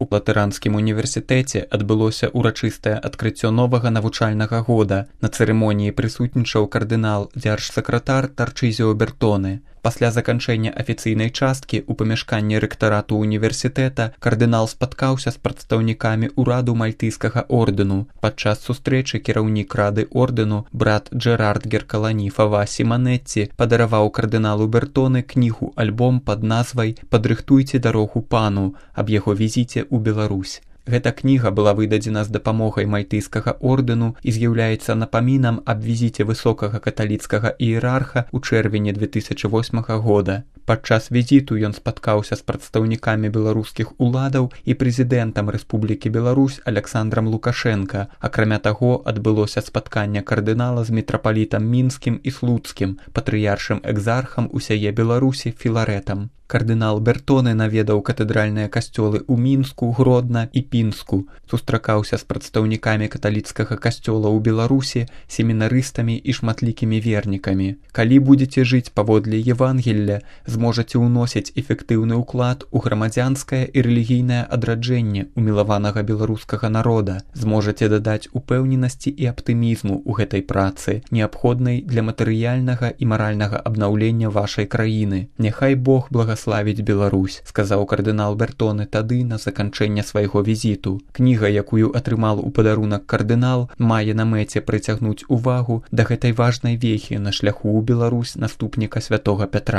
У Латаранскім універсітэце адбылося ўрачыстае адкрыццё новага навучальнага года. На цырымоніі прысутнічаў кардынал дзяржсакратар Тарчызіо Бертоне. Пасля заканчэння афіцыйнай часткі ў памяшканні рэктарату універсітэта кардынал спаткаўся з прадстаўнікамі ўраду мальтыйскага ордэну. Падчас сустрэчы кіраўнік рады ордэну брат Джэрард Геркалані Фава Сіманэцці падараваў кардыналу Бертоне кнігу-альбом пад назвай «Падрыхтуйце дарогу пану» аб яго візіце ў Беларусь. Гэта кніга была выдадзена з дапамогай мальтыйскага ордэну і з'яўляецца напамінам аб візіце высокага каталіцкага іерарха ў чэрвені 2008 года. Падчас візіту ён спаткаўся з прадстаўнікамі беларускіх уладаў і прэзідэнтам Рэспублікі Беларусь Аляксандрам Лукашенка. Акрамя таго, адбылося спатканне кардынала з мітрапалітам мінскім і слуцкім, патрыяршым экзархам усяе Беларусі Філарэтам. Кардынал Бертоне наведаў катэдральныя касцёлы ў Мінску, Гродна і Пінску, сустракаўся з прадстаўнікамі каталіцкага касцёла ў Беларусі, семінарыстамі і шматлікімі вернікамі. Калі будзеце жыць паводле Евангелля, зможаце ўносіць эфектыўны ўклад у грамадзянскае і рэлігійнае адраджэнне умілаванага беларускага народа, зможаце дадаць упэўненасці і аптымізму ў гэтай працы, неабходнай для матэрыяльнага і маральнага абнаўлення вашай краіны. Няхай Бог благаславіць Беларусь, сказаў кардынал Бертоне тады на заканчэнне свайго візіту. Кніга, якую атрымал у падарунак кардынал, мае на мэце прыцягнуць увагу да гэтай важнай вехі на шляху ў Беларусь наступніка святога Пятра.